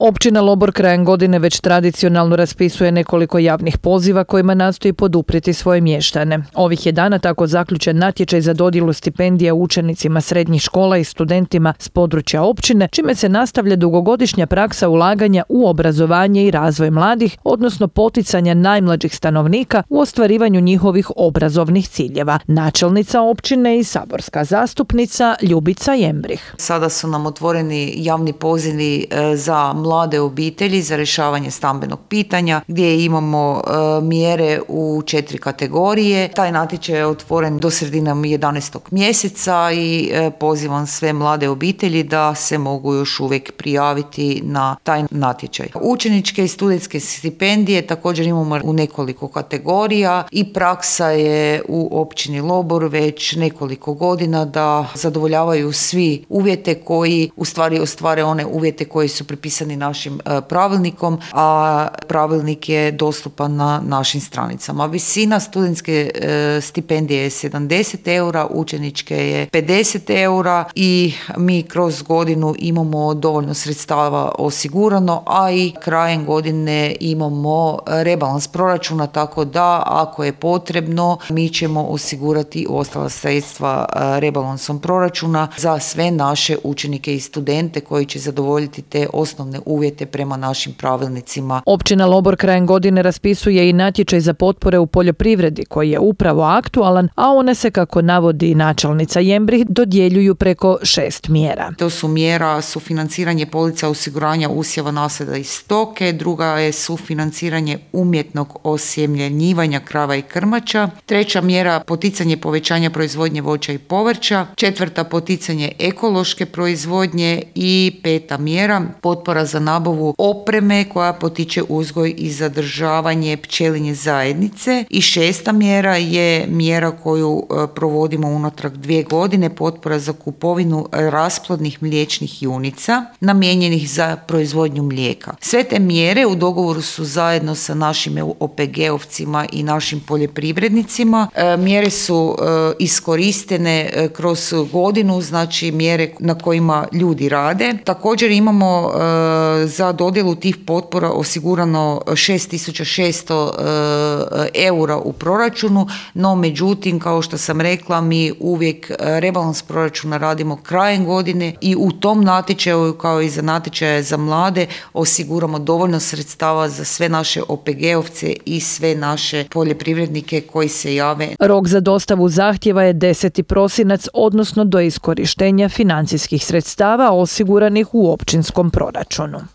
Općina Lobor krajem godine već tradicionalno raspisuje nekoliko javnih poziva kojima nastoji poduprijeti svoje mještane. Ovih je dana tako zaključen natječaj za dodjelu stipendija učenicima srednjih škola i studentima s područja općine, čime se nastavlja dugogodišnja praksa ulaganja u obrazovanje i razvoj mladih, odnosno poticanja najmlađih stanovnika u ostvarivanju njihovih obrazovnih ciljeva. Načelnica općine i saborska zastupnica Ljubica Jembrih. Sada su nam otvoreni javni pozivi za mlade obitelji za rješavanje stambenog pitanja gdje imamo mjere u 4 kategorije. Taj natječaj je otvoren do sredine 11. mjeseca i pozivam sve mlade obitelji da se mogu još uvijek prijaviti na taj natječaj. Učeničke i studentske stipendije također imamo u nekoliko kategorija i praksa je u općini Lobor već nekoliko godina da zadovoljavaju svi uvjete koji u stvari ostvare one uvjete koji su pripisani našim pravilnikom, a pravilnik je dostupan na našim stranicama. Visina studentske stipendije je 70 eura, učeničke je 50 eura i mi kroz godinu imamo dovoljno sredstava osigurano, a i krajem godine imamo rebalans proračuna, tako da ako je potrebno mi ćemo osigurati ostala sredstva rebalansom proračuna za sve naše učenike i studente koji će zadovoljiti te osnovne uvjete prema našim pravilnicima. Općina Lobor krajem godine raspisuje i natječaj za potpore u poljoprivredi koji je upravo aktualan, a one se, kako navodi načelnica Jembrih, dodjeljuju preko 6 mjera. To su mjera sufinanciranje polica osiguranja usjeva nasada i stoke, druga je sufinanciranje umjetnog osjemljenjivanja krava i krmača, treća mjera poticanje povećanja proizvodnje voća i povrća, četvrta poticanje ekološke proizvodnje i peta mjera potpora za nabavu opreme koja potiče uzgoj i zadržavanje pčelinje zajednice i šesta mjera je mjera koju provodimo unatrag 2 godine, potpora za kupovinu rasplodnih mliječnih junica namijenjenih za proizvodnju mlijeka. Sve te mjere u dogovoru su zajedno sa našim OPG-ovcima i našim poljoprivrednicima. Mjere su iskoristene kroz godinu, znači mjere na kojima ljudi rade. Također imamo za dodjelu tih potpora osigurano 6.600 eura u proračunu, no međutim, kao što sam rekla, mi uvijek rebalans proračuna radimo krajem godine i u tom natječaju, kao i za natječaje za mlade, osiguramo dovoljno sredstava za sve naše OPG-ovce i sve naše poljoprivrednike koji se jave. Rok za dostavu zahtjeva je 10. prosinac, odnosno do iskorištenja financijskih sredstava osiguranih u općinskom proračunu.